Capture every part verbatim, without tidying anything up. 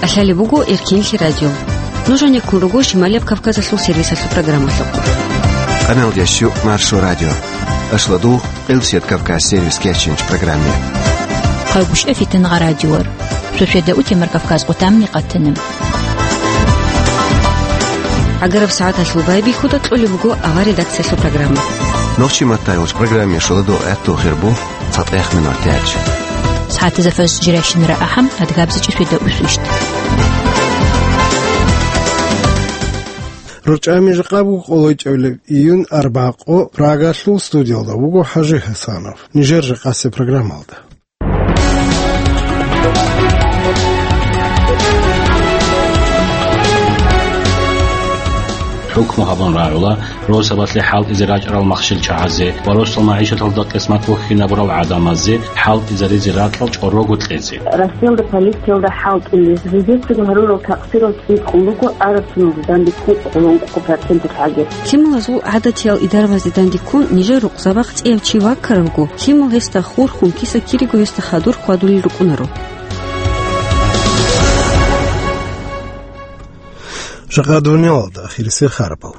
Лъалеб буго Эркинлъи радио. Нуж гьанеккун руго Шималияб Кавказалъул сервисалъул программалъухъ. Къаналдящу Маршо радио. Ашладул Къилсият Кавказ сервис кечинч программе. Хъагушев Фитнагъа радиор. Шошеда утемар Кавказ къутамни къатанам. ГӀагараб сагӀаталъул байбихьуда кьолеб буго авар редакциялъул программа. Нохчи маттайулч программе шоладо гӀатту хирбу. ЦатӀехъ минут тяч. СагӀатазда фаз жирайщинара ахӀам, адгабзичӀи шведа усвищт. РучӀами жакъа буго къолойчӀебилеб июнь арбакъо, Прагалъул студиялда вуго ХӀажи ХӀасанов. Нижер жакъасеб программалда. ХӀукму гьабун рагӀула росабалъе хӀалтӀизе рачӀарал махщел чагӀазе ва росдал магӀишаталда къисмат бухьинабурал гӀадамазе хӀалтӀизаризе ракьал чӀорого кьезе. Россиялда полициялда хӀалтӀулел, жидецаго гьарурал такъсирал цӀикӀкӀун руго араб соналда данде ккун къоло ункъо проценталъ гӀаги. Лъималазул гӀадатиял идарабазде данде ккун нижер рукъзабахъ цӀияв чи ваккаравго, лъимал гьесда хурхун, киса-кириго гьесда хадур хьвадулел рукӀунаро. Жакъа дуниялалда ахирисел харабал.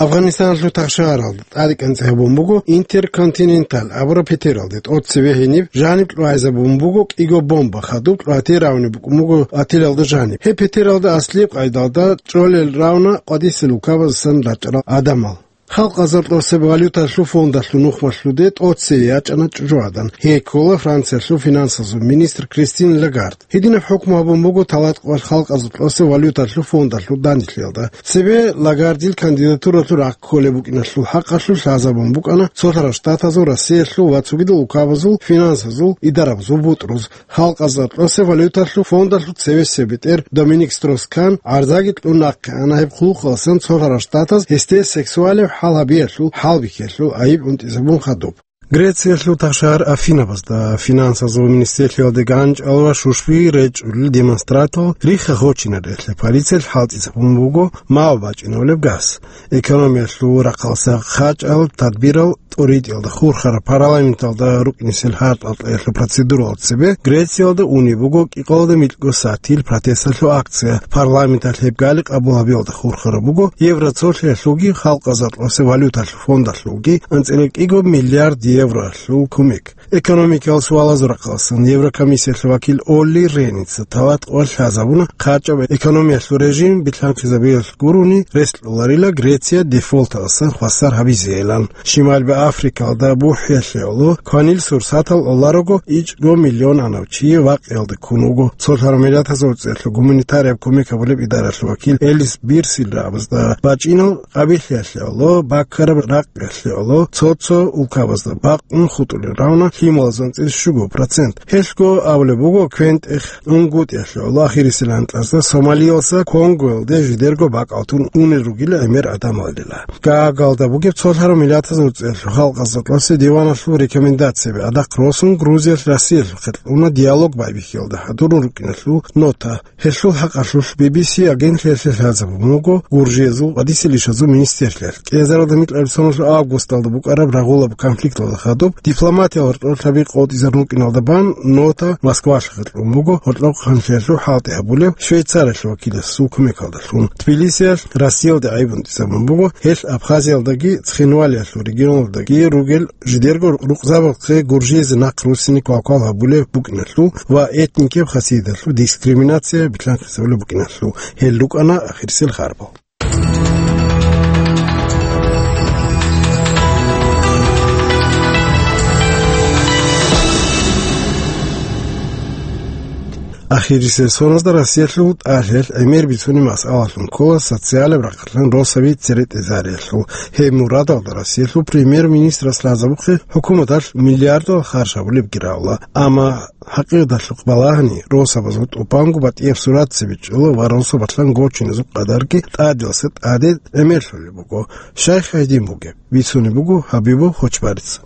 Афганистаналъул тахшагьаралда тӀадекӀанцӀи гьабун буго Интерконтиненталь абураб петералде. ТӀоцебе гьениб жаниб кьвайзабун буго кӀиго бомба, хадуб кьватер равни букӀун буго отелалда жаниб. Гьеб петералда аслияб къайдалда чӀолел равна къватӀисел улкабазасан рачӀарал гӀадамал. Халкъазар тӀосеб валюталъул фондалъул нухмалъуде тӀоцее ячӀана чӀужугӀадан. Гьей ккола Франциялъул финансазул министр Кристин Лагард. Гьединаб хӀукму гьабун буго талатӀкъоялъ халкъазул тӀосеб валюталъул фондалъул данделъиялда. Цебе Лагардил кандидатуралъул рахъ кколеб букӀиналъул хӀакъалъулъ лъазабун букӀана Цолъарал Штатазул, Россиялъул ва цогидал улкабазул финансазул идарабазул бутӀруз. Халкъазда тӀосеб валюталъул фондалъул цевесеб бетӀер Доминик Строс-Кан гӀарзаги кьун нахъе ана гьеб хъулухъаласан Цолъарал Штатаз гьесде сексуалев хӀал гьабиялъул хӀалбихьиялъул айиб унтӀизабун хадуб. Грециялъул тахшагьар Афинабазда финансазул министрлъиялде ганчӀал ва шушби речӀчӀулел демонстратал рихха гъочинарелъе полициялъ хӀалтӀизабун буго мав бачӀинабулеб газ. Экономиялъул рахъалса хъачӀал тадбирал тӀуритӀиялда хурхараб парламенталда рукӀинесел гьард-гьалкьиялъул процедуралда цебе Грециялда унеб буго кӀикъоялда микьго сатил протесталъул акция. Парламенталъ гьеб гали къабул гьабиялда хурхараб буго евроцолъиялъулги халкъазда тӀосеб валюталъул фондалъулги анцӀила кӀиго миллиард евроялъул кумек. Экономикиял суалазул рахъаласан Еврокомиссиялъул вакил Олли Реница талатӀкъоялъ лъазабуна хъачӀаб экономиялъул режим билълъанхъизабиялъ гурони рес кьоларила Греция дефолталдасан хвасар гьабизейилан. Шималби Африкалда бухӀиялъе гӀоло кванил сурсатал оларого ичӀго миллион анав чи вакъиялде ккун вуго. Цолъарал Миллатазул ГӀицӀиялъул гуманитарияб кумек гьабулеб идаралъул вакил Элис Бирсилра абазда бачӀинал къабихӀиялъе гӀоло баккараб ракъ Гьелъие гӀоло цо-цо улкабазда бакъун хутӀулел равна лъималазул анцӀила щуго процент. Гьелъго абулеб буго квен-тӀех унгутӀиялъе гӀоло ахирисел анкьазда Сомалиялса Конгоялде жидерго бакӀалтун унел ругила гӀемер гӀадамалила. Гаагалда бугеб Цолъарал Миллатазул ГӀицӀиялъул халкъазда тӀосе диваналъул рекомендацияби гӀадахъ росун Грузиялъ Россиялъухъе кьуна диалог байбихьиялда хӀадурун рукӀиналъул нота. Гьелъул хӀакъалъулъ Би Би Си агентлъиялъе лъазабун буго Гуржиязул къватӀисел ишазул министрлъиялъ. КӀиазаралда микьабилеб соналъул августалда букӀараб рагъулаб конфликталда хадуб дипломатиял гьоркьорлъаби къотӀизарун рукӀиналда бан нота Москвалъухъе кьун буго гьоркьохъанлъиялъул хӀалтӀи гьабулев Швейцариялъул вакиласул кумекалдалъун. Тбилисиялъ Россиялде гӀайиб унтӀизабун буго гьелъ Абхазиялдаги Цхинвалиялъул регионалдаги ругел жидерго рукъзабазухъе Гуржиязе нахъ руссине квалквал гьабулеб букӀиналъул ва этникияб хасияталъул дискриминация билълъанхъизабулеб букӀиналъул. Гьел рукӀана ахирисел харбал. Ахирисел соназда Россиялъул тӀалъиялъ гӀемер бицунеб масъалалъун ккола социалияб рахъалъан росаби церетӀезариялъул. Гьеб мурадалда Россиялъул премьер-министрас лъазабухъе хӀукуматалъ миллиардал харж гьабулебги рагӀула. Амма хӀакъикъаталъухъ балагьани, росабазул тӀубанго батӀияб сурат цебе чӀола ва росабалъан гочиназул къадарги тӀаделъа тӀаде гӀемерлъулеб буго. Шайх гьедин бугеб, бицунеб буго Хабибов Хочбарица.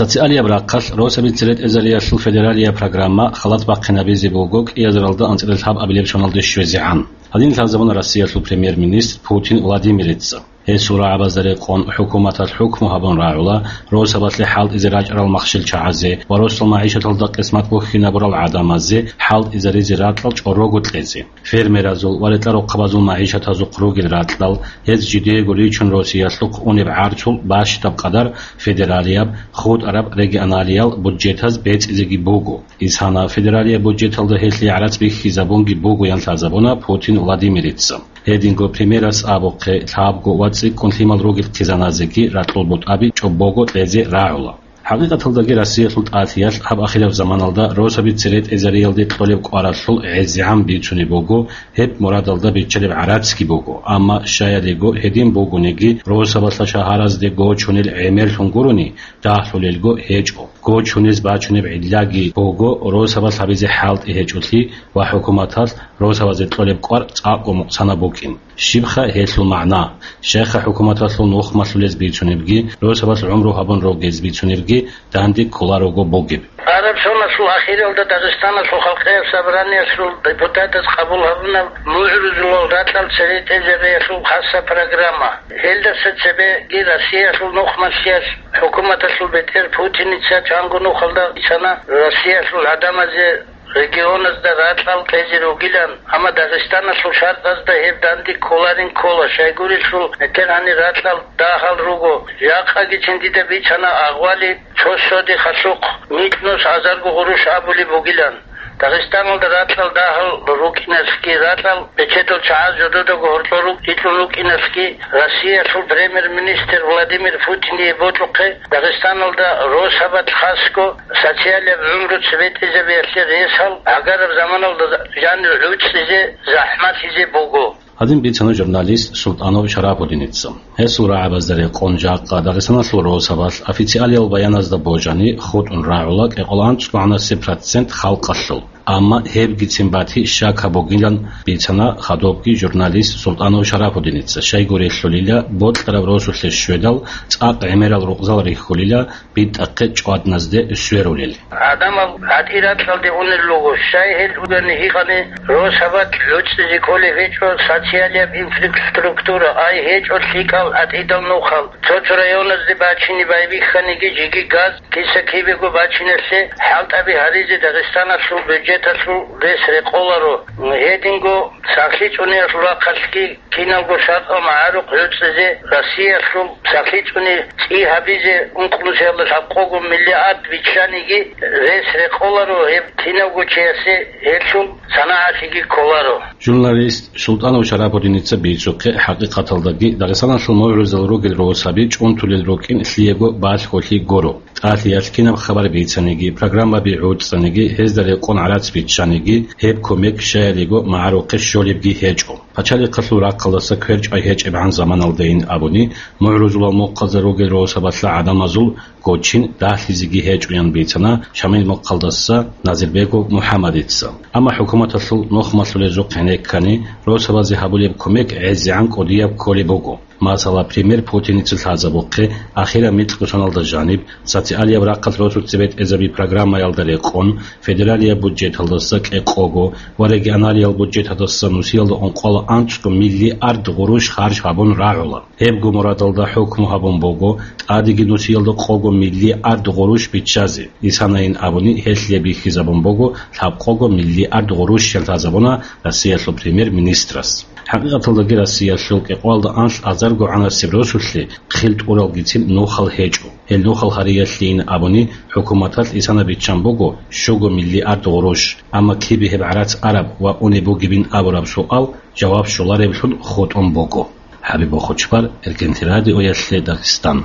Социалияб рахъалъ росаби церетӀезариялъул федералияб программа халат бахъинабизе буго кӀиазаралда анцӀила лъабабилеб соналде щвезегӀан. Гьадин лъазабуна Россиялъул премьер-министр Путин Владимирица. Гьесул рагӀабазда рекъон хӀукуматалъ хӀукму гьабун рагӀула росабалъе хӀалтӀизе рачӀарал махщел чагӀазе ва росул магӀишаталда къисмат бухьинабурал гӀадамазе хӀалтӀизаризе ракьал чӀорого кьезе. Фермеразул ва ретӀа-рохъабазул магӀишатазухъ ругел ракьал, гьез жидеего ричун Россиялъухъ унеб гӀарцул бащдаб къадар федералияб, хутӀараб, регионалиял бюджетаз бецӀизеги буго. Исана федералияб бюджеталда гьелъие гӀарац бихьизабунги бугоян лъазабуна Путин Владимирица. Гьединго премьерас абухъе, лъабго ва цӀикӀкӀун лъимал ругел хъизаназеги ракьул бутӀаби чӀобого кьезе рагӀула. ХӀакъикъаталдаги Россиялъул тӀатиялъ гьаб ахираб заманалда росаби цере тӀезариялде кьолеб кӀваралъул гӀезегӀан бицунеб буго, гьеб мурадалда биччалеб гӀарацги буго, амма щаялиго гьедин бугониги, росабалъа шагьаразде гочунел гӀемерлъун гурони, дагьлъулелго гьечӀо. Гочунез бачунеб гӀиллаги буго росабалъ гьабизе хӀалтӀи гьечӀолъи ва хӀукуматалъ росабазе кьолеб кӀвар цӀакъго мукъсанаб букӀин. Щибха гьелъул магӀна? Щайха хӀукуматалъул нухмалъулез бицунебги, росабалъ гӀумру гьабун ругез бицунебги данде кколарого бугеб. Араб соналъул ахиралда Дагъистаналъул халкъияб собраниялъул депутатаз къабул гьабуна мугӀрузулал ракьал цере тӀезариялъул хасаб программа. Гьелдаса цебеги Россиялъул нухмалъиялъ хӀукуматалъул бетӀер Путиница чанго нухалда бицана Россиялъул гӀадамазе регионазда ракьал кьезе ругилан, амма Дагъистаналъул шартӀазда гьеб данде кколарин ккола, щайгурелъул метер гьанир ракьал дагьал руго. Жакъагицин дида бицана агъвали цо содихъалъухъ микьнус азарго гъурущ абулеб бугилан. Дагъистаналда ракьал дагьал рукӀиналъги, ракьал бечедал чагӀаз жододаго гьоркьор рукӀ-, рикьун рукӀиналъги Россиялъул премьер-министр Владимир Путиндие бокьухъе Дагъистаналда росабалъ хасго социалияб гӀумру цебетӀезабиялъе ресал гӀагараб заманалда жанир гӀуцӀизе, захӀмалъизе буго. Гьадин бицана журналист Султанов Шарапудиница. Гьесул рагӀабазда рекъон жакъа Дагъистаналъул росабалъ официалиял баяназда божани хутӀун рагӀула кӀикъоялда анцӀго гӀанасеб процент халкъалъул. Амма гьебгицин бати щака бугилан бицана хадубги журналист Султанов Шарапудиница, щайгурелъулила бокьараб росулъе щведал цӀакъ гӀемерал рукъзал рихьулила битӀахъе чӀвадназде сверулел. Гьадамал гьатӀи ракьалде унел руго, щай гьел угани гьикъани росабалъ гӀуцӀизе кколеб гьечӀо социалияб инфраструктура, ай гьечӀо лъикӀал гьатӀидал нухал. Цо-цо районазде бачине байбихьаниги жеги газ, киса-кибего бачиналъе хӀалтӀаби гьаризе Дагъистаналъул бюджеталъул рес рекъоларо. Гьединго сахлъи цӀуниялъул рахъалъги киналго шартӀал магӀарухъ гӀуцӀизе, Россиялъул сахлъи цӀуни цӀи гьабизе ункънусиялда лъабкъого миллиард биччаниги рес рекъоларо, гьеб кинавго чиясе гьелъул санагӀалъиги кколаро. Журналист Султанов Шарапудиница бицухъе, хӀакъикъаталдаги Дагъистаналъул мугӀрузал ругел росаби чӀунтулел рукӀин лъиего балъголъи гуро. ТӀалъиялъ кинаб хабар бицаниги, программаби гӀуцӀаниги, гьезда рекъон гӀарац биччаниги, гьеб кумек щаялиго магӀарухъе щолебги гьечӀо. Пачалихъалъул рахъалдаса кверчӀвай гьечӀебгӀан заманалдайин абуни, мугӀрузулал мухъазда ругел росабалъа гӀадамазул гочин дагьлъизеги гьечӀоян бицана Шамил мухъалдаса Назирбегов МухӀаммадица. Амма хӀукуматалъул нухмалъулезухъ гьенеккани, росабазе гьабулеб кумек гӀезегӀан кӀудияб кколеб буго. Масала, премьер Путиница лъазабухъе, ахираб микьго соналда жаниб, социалияб рахъалъ росуцебетӀезаби программаялда рекъон, федералияб бюджеталдаса кӀикъого ва регионалиял бюджеталдаса нусиялда ункъоялда анцӀго миллиард гъурущ харж гьабун рагӀула. Гьебго мурадалда хӀукму гьабун буго тӀадеги нусиялда къого миллиард гъурущ биччазе. Исанайин абуни, гьелъие бихьизабун буго лъабкъого миллиард гъурущ, лъазабуна Россиялъул премьер-министрас. ХӀакъикъаталдаги Россиялъул кӀикъоялда анлъ азарго гӀанасеб росулъе хил тӀуралгицин нухал гьечӀо. Гьел нухал гьариялъейин абуни, хӀукуматалъ исана биччан буго щуго миллиард гъурущ, амма кибе гьеб гӀарац араб ва унеб бугебин абураб суал жаваб щолареблъун хутӀун буго. ХӀабиб Бохочбар, Эркенти радиоялъе Дагъистан.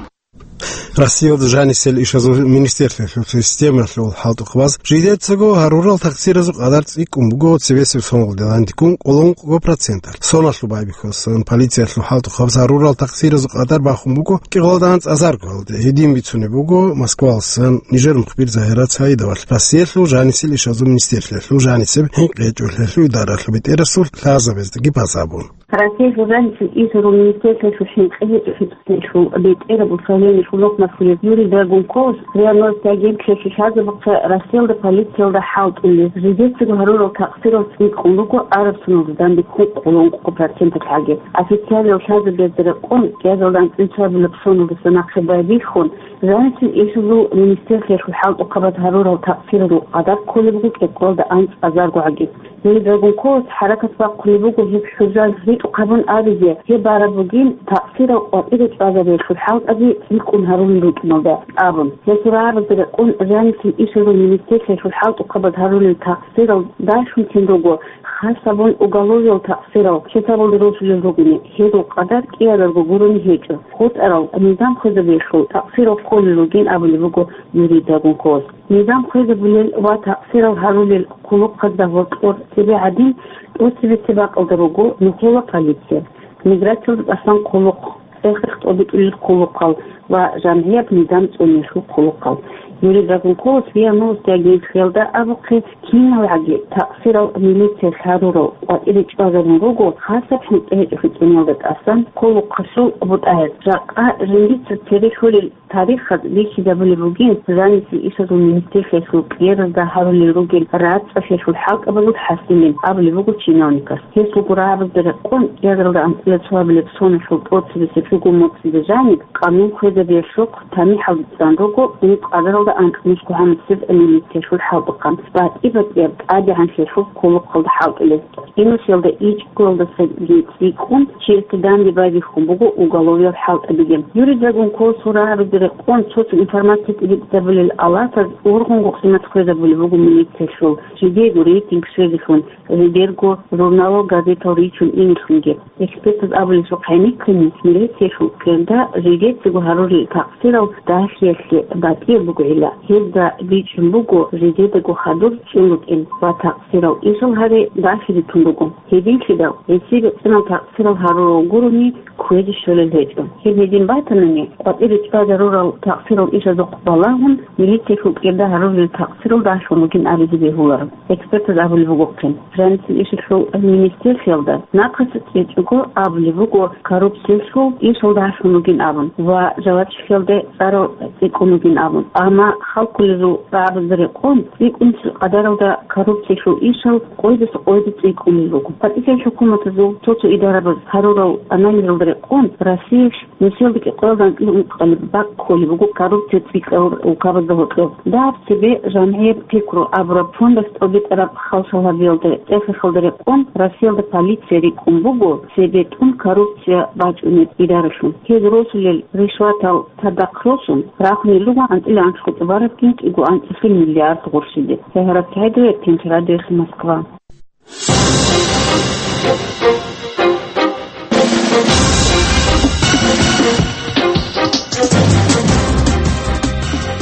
Россиялда жанисел ишазул министрлъиялъул системалъул хӀалтӀухъабаз жидецаго гьарурал такъсиразул къадар цӀикӀкӀун буго цебесеб соналда дандиккун кӀоло ункъго проценталъ. Соналъул байбихьулсан полициялъул хӀалтӀухъабаз гьарурал такъсиразул къадар бахун буго кӀикъоялда анцӀазаргоялде. Гьедин бицунеб буго Москвалсан нижер мухбир Загьират Саидовалъ Россиялъул жанисел ишазул министрлъиялъул жанисеб хӀинкъичӀолъиялъул идаралъул бетӀерасул лъазабаздаги базабун. Россиялъул жанисел ишазул министрлъиялъул хӀинкъичӀолъиялъул бетӀераб управление Цунахъ нахулеб Юрий Драгунковас РИА Новости агентствалъе лъазабухъе Россиялда полициялда хӀалтӀулел, жидецаго гьарурал такъсирал цӀикӀкӀун руго араб соналда данде ккун къоло ункъо проценталъ гӀаги. Официалиял лъазабазда рекъон, кӀиазалда анцӀила цоабилаб соналдаса нахъе байбихьун, жанисел ишазул министерствалъул хӀалтӀухъабаз гьарурал такъсирал къадар кколеб буго кӀикъоялда анцӀазарго гӀаги. Гьел рагунколас хӀаракат бахъулеб буго гьеб хӀужал ритӀухъ гьабун абизе, гьеб бараб бугин такъсирал къватӀире чӀвазабиялъул хӀалтӀаби цӀикӀкӀун гьарулел рукӀиналда абун. Гьесул рагӀабазда рекъон жанисел ишазул министерствалъул хӀалтӀухъабаз гьарулел такъсирал дашунтин руго, хас гьабун уголовиял такъсирал хӀисабалде росулел ругони, гьезул къадар кӀиазарго гурони гьечӀо. ХутӀарал низам хвезабиялъул такъсирал кколел ругин абулеб буго Юрий Драгунковас. Низам хвезабулел ва такъсирал гьарулел хъулухъазда гьоркьор цебе гӀадин, тӀоцебесеб бакӀалда руго нухала полиция, миграциялда тӀасан хъулухъ, цӀехехъ тӀобитӀулел хъулухъал ва жамгӀияб низам цӀуниялъул хъулухъал. Юрий Драгунковас РИА Новости агентствалда абухъе, киналгӀаги такъсирал милициялъ гьарурал къватӀире чӀвазарун руго, хасаб хӀинкъи гьечӀолъи цӀуниялда тӀасан хъулухъалъул бутӀаялъ. Жакъа жиндица цере лъолел тарихаз бихьизабулеб бугин, жанисел ишазул министерствалъул кьеразда гьарулел ругел рацӀцӀалъиялъул хӀалтӀабазул хӀасилин абулеб буго чиновникас. Гьес гурабазда рекъон, кӀиазаралда анцӀила цоабилеб соналъул тӀоцебесеб чӀугу моцӀида жаниб, къанун хвезабиялъухъ тамихӀалде цӀан руго ункъазаралда анкьнусго гьанусеб милициялъул хӀалтӀухъан, батӀи-батӀияб тӀадегӀанлъиялъул хъулухъалда хӀалтӀулел. Инусиялда ичӀгоялдасаги цӀикӀкӀун чиясда данде байбихьун буго уголовиял хӀалтӀабиги. Юрий Драгунковасул рагӀабазда рекъон цо-цо информация тӀибитӀизабулел алатаз ургъунго къимат хвезабулеб буго милициялъул, жидеего рейтинг щвезелъун, жидерго журналал, газетал ричун инелъунги. Экспертаз абулесухъ гӀенеккани, милициялъул кьерда жидецаго гьарулел такъсирал дагьлъиялъе батӀияб бугила. Гьезда бичӀчӀун буго жидедаго хадур чӀун рукӀин ва такъсирал ишал гьаре дагьлъи ритун руго. Гьединлъидал гьесие бицунал такъсирал гьарурал гурони кквезе щолел гьечӀо. Гьеб гьедин батанани, къватӀире чӀвазарурал такъсирал ишазухъ балагьун, милициялъул кьерда гьарулел такъсирал дагьлъун ругин абизе бегьуларо. Экспертаз абулеб бугохъин, жанисел ишалъул министерствалда нахъаса чӀечӀого абулеб буго коррупциялъул ишал дагьлъун ругин абун ва жавабчилъиялда цӀарал цӀикӀкӀун ругин абун. Амма халкъалъул рагӀабазда рекъон, цӀикӀкӀунелъул къадаралда коррупциялъул ишал къойдаса къойда цӀикӀкӀунел руго. ПатӀилъи хӀукуматазул цо-цо идарабаз гьарурал анализалда рекъон, Россиялъ нилъеда кӀикъоялда анкьил ункъабилеб бакӀ кколеб буго коррупция цӀикӀкӀарал улкабазда гьоркьоб. Дагьаб цебе жамгӀияб пикру абураб фондалъ тӀобитӀараб халлъал гьабиялда, цӀехехалда рекъон, Россиялда полиция рикӀкӀун буго цебетӀун коррупция бачӀунеб идаралъун. Гьез росулел ришватал цадахъ росун, рахунел руго анцӀила анлъго тӀубарабгин кӀиго анцӀила миллиард гъурщиде. СагӀарат СагӀидова, Эркенлъи радиоялъ, Москва.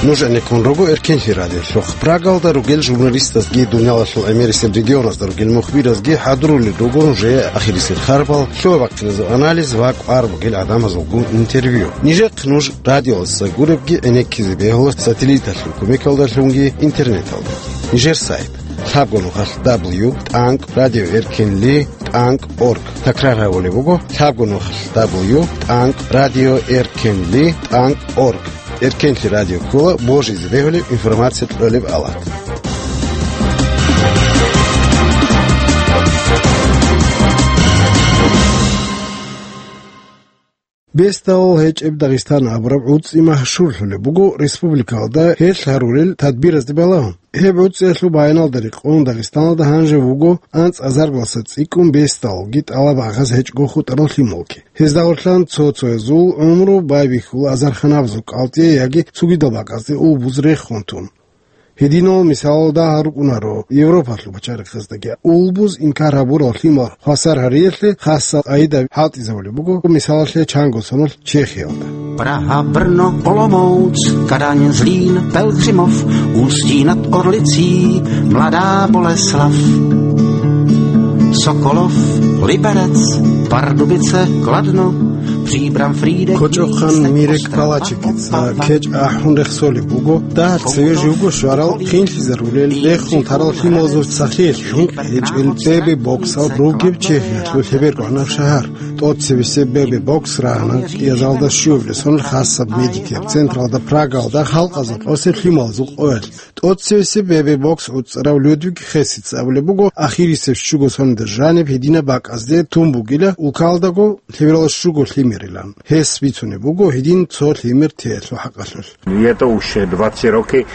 Нуж гӀенеккун руго Эркенлъи радиолъухъ. Прагалда ругел журналистазги, дуниялалъул гӀемерисел регионазда ругел мухбиразги хӀадурулел руго нужее ахирисел харбал, лъугьа-бахъиназул анализ ва кӀвар бугел гӀадамазулгун интервью. Нижехъ нуж радиоялдаса гуребги гӀенеккизе бегьула сателлиталъул кумекалдалъунги интернеталда. Нижер сайт: лъабго нухалъ дабл ю тӀанкӀ радио эркенли тӀанкӀ орг. Такрар гьабулеб буго: лъабго нухалъ дабл ю тӀанкӀ радио эркенли тӀанкӀ орг. Эркенлъи радио ккола божизе бегьулеб информация кьолеб алат. Бесдалал гьечӀеб Дагъистан абураб гӀуцӀи машгьурлъулеб буго республикалда гьелъ гьарурел тадбиразде балагьун. Гьеб гӀуцӀиялъул баяналда рекъон Дагъистаналда гьанже вуго анцӀазаргалъа цӀикӀкӀун бесдалалги тӀалаб гӀагъаз гьечӀго хутӀарал лъималги. Гьезда гъорлъан цо-цоязул гӀумру байбихьула азарханабазул кӀалтӀе яги цогидал бакӀазде улбуз рехун тун. Гьединал мисалалда гьарукӀунаро Европалъул пачарихъаздаги улбуз инкар гьабурал лъимал хвасар гьариялъе хасал къагӀида хӀалтӀизабулеб буго, мисалалъе, чанго соналъ Чехиялда. Praha, Brno, Olomouc, Kadaň, Zlín, Pelhřimov, Ústí nad Orlicí, Mladá Boleslav, Sokolov, Liberec, Pardubice, Kladno, Кочохъан Мирек Палачикица кечӀ ахӀун рехсолеб буго, дагь цеве живго щварал хинлъизарулел рехун тарал лъималазул сахлъиялъ хӀинкъи гьечӀел Бебе Боксал ругеб Чехиялъул Лъеберкъванаб шагьар. ТӀоцебесеб Бебе Бокс рагьана кӀиазалда щуабилеб сонил хасаб медикияб централда Прагалда халкъазул къосеб лъималазул къоялъ. ТӀоцевесеб Бебе Бокс гӀуцӀарав Людвиг Хесица абулеб буго, ахирисеб щуго соналда жаниб гьединаб бакӀазде тун бугила улкалдаго лъеберал щуго лъимерилан. Гьес бицунеб буго гьедин цо лъимер теялъул хӀакъалъулъ. Є то уж два-три роки.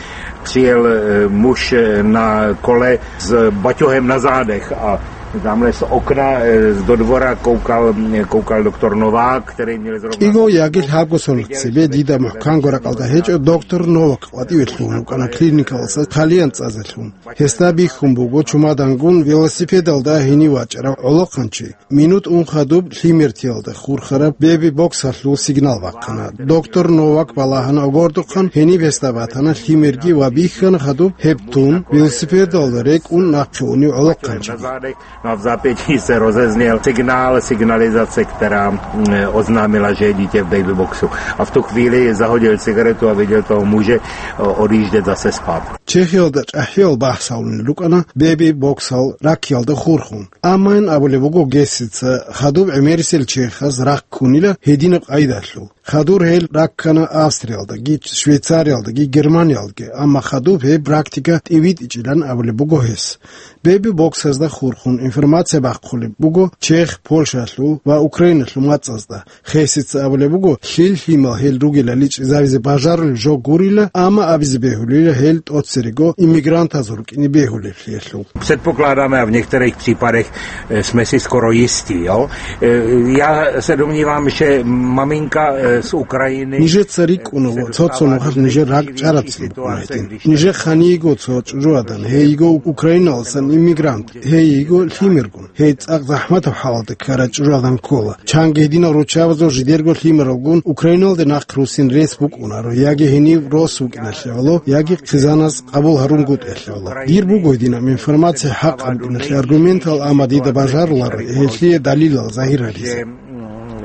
Přijel, е, муж, е, на коле з батьогем на задех а тамле з окна, е, до двора кокал, е, кокал доктор Новак, який мел зробив. КӀиго яги лъабго соналъ цебе дида мухӀканго ракӀалда гьечӀо доктор Новак къватӀиве лъугьун вукӀана клиникалдаса хъалиян цӀазалъун. Гьесда бихьун буго чумадангун велосипедалда гьенив вачӀарав гӀолохъанчи. Минут ун хадуб лъимертиялда хурхараб Бебе Боксалъул сигнал бахъана. Доктор Новак балагьана гӀодобе, гьениб гьесда батана лъимерги ва бихьана хадуб гьеб тун, велосипедалда рекӀун нахъе унев гӀолохъанчиги. Но в запятии се розезнел сигнал, сигнализация, яка, м, ознамила, же дитя в бейби-боксу. А в ту хвилю заходив сигарету, а видів того мужа, о, одіжде засе спав. Чехиялда чӀахӀиял бахӀсалун рукӀана Бебе Боксал раккиялда хурхун. Амма ин абулеб буго Гессица, хадуб гӀемерисел чехас ракк ккунила гьединаб къайдалъул. Хадур гьел раккана Австриялдаги, Швейцариялдаги, Германиялдаги, амма хадуб гьеб практика тӀибитӀичӀилан абулеб буго гьес. Бебе Боксазда хурхун информация бахъулеб буго Чех, Польшалъул ва Украиналъул мацӀазда. Хесица абулеб буго, лъил-лъимал гьел ругелали чӀезавизе бажарулеб жо гурила, амма абизе бегьулила гьел тӀоцерего иммигрантазул рукӀине бегьулеблъиялъул. Předpokládáme a v některých případech, eh, jsme si skoro jistí, jo. Eh, já se domnívám, že maminka, eh, z Ukrajiny, Нижеца рикӀкӀуна ва цо-цо нухалъ нижер ракӀ чӀарацин букӀуна гьедин. Нижер ханийго цо чӀужугӀадан, гьей йиго Украиналасан иммигрант, гьей йиго лъимергун. Гьей цӀакъ захӀматаб хӀалалда ккарай чӀужугӀадан ккола. Чанги гьединал руччабазул жидерго лъимералгун Украиналде нахъ руссин рес букӀунаро, яги гьенив рос вукӀиналъе гӀоло, яги хъизанас къабул гьарунгутӀиялъе гӀоло. Дир буго гьединаб информация хӀакъаб букӀиналъе аргументал, амма дида бажаруларо гьелъие далилал загьир гьаризе.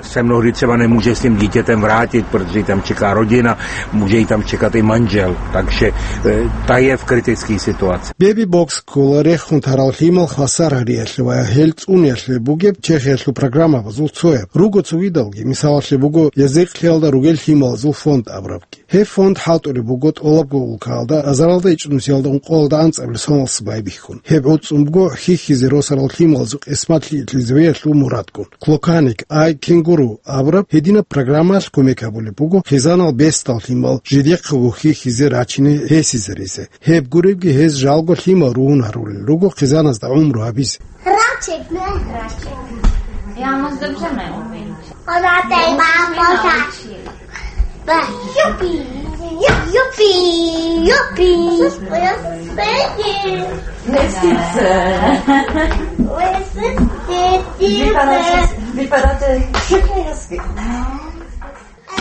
Се много говорит, се не може з тим дітям вратити, тому що там чекає родина, може і там чекати манджел. Так що, е, та є в критичній ситуації. Бебі-бокс ккола рехун тарал лъимал хвасар гьариялъе ва гьел цӀуниялъе бугеб Чехиялъул программабазул цояб. Руго цогидалги, мисалалъе буго, язихълъиялда ругел лъималазул фонд абурабги. Гьеб фонд хӀалтӀулеб буго тӀолабго улкаялда, азаралда ичӀнусиялда ункъоялда анцӀабилеб соналъ байбихьун. Гьеб гӀуцӀун буго хьихьизе росарал лъималазул къисмат лъикӀлъизавиялъул мурадгун. Клоканик, ай кенгуру абураб гьединаб программаялъ кумек гьабулеб буго хъизанал бесдал лъимал жидехъего хьихьизе рачине гьесизаризе. Гьеб гуребги гьез жалго лъимал ругьун гьарулел руго хъизаназда гӀумру гьабизе. Рачек, не? Рачек. Я у нас добре не умею. Она дай мама так. Ба, юпи, юпи, юпи. Лисиця. Лисиця. Лисиця. Vypadáte, vypadáte všichni hezky.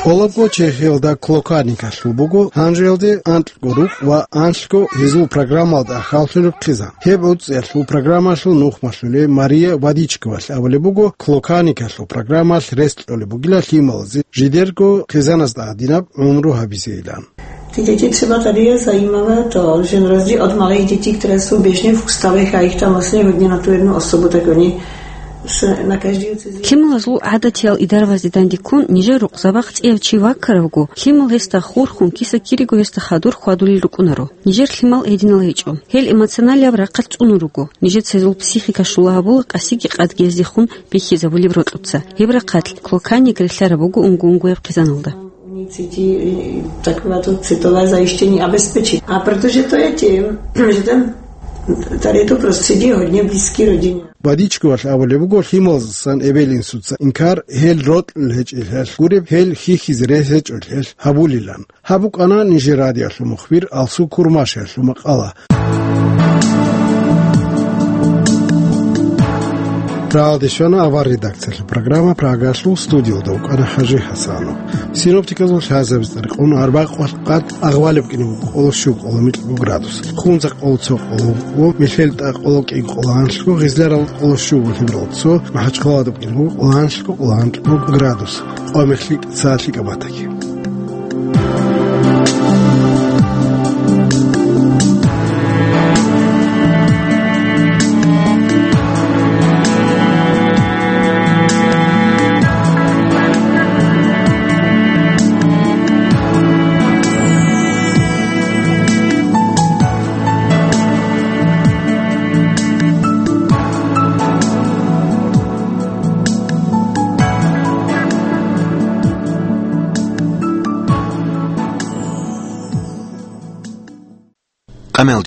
ТӀолабго Чехиялда Клоканикалъул буго гьанжеялде анкьго рукъ ва анлъго гьезул программалда ахӀаллъунеб хъизан. Гьеб гӀуцӀиялъул программалъул нухмалъулей Мария Вадичковалъ абулеб буго, Клоканикалъул программалъ рес кьолеб бугила лъималазе жидерго хъизаназда гьадинаб гӀумру гьабизейилан. Ty děti třeba tady je zajímavé to, že na rozdíl od malých dětí, které jsou běžně v ústavech a jich tam vlastně hodně na tu jednu osobu, tak oni se na každý cizí Лъималазул гӀадатиял идарабазде дандеккун, нижер рукъзабахъ цӀияв чи ваккаравго, лъимал гьесда хурхун, киса-кириго гьесда хадур хьвадулел рукӀунаро. Нижер лъимал гьединал гьечӀо. Гьел эмоционалияб рахъалъ цӀунун руго. Нижеца гьезул психика щула гьабула къасиги къадги гьездехун бихьизабулеб рокьуца. Гьеб рахъалъ Клоканик релълъараб буго унго-унгояб хъизаналда. Oni cítí, eh, takové to citové zajištění a bezpečí. A protože to je tím, že ten, tady je to prostředí hodně blízký rodině. Вадичковалъ абулеб буго, лъималаздасан эбел-инсуца инкар гьел рокьулел гьечӀелъул гуреб, гьел хьихьизе рес гьечӀолъул гьабулилан. Гьаб букӀана нижер радиоялъул мухбир Алсу Курмашиялъул макъала. Прагалде щвана авар редакциялъул программа, Прагалъул студиялда вукӀана ХӀажи ХӀасанов. Синоптиказул лъазабица рекъон арбакъвалъ къад агъвалеб кӀине буго, къоло щуго, къоло микьго градус, Хунзахъ къоло цо, къоло вуго, МелъелтӀа къоло кӀиго, къоло анлъго, Гъизларал къоло щуго, Лъеберал цо, МахӀачхъаладаб кӀине буго, къоло анлъго, къоло анкьго градус, къо мехлъи тӀаца лъикӀаб батаги.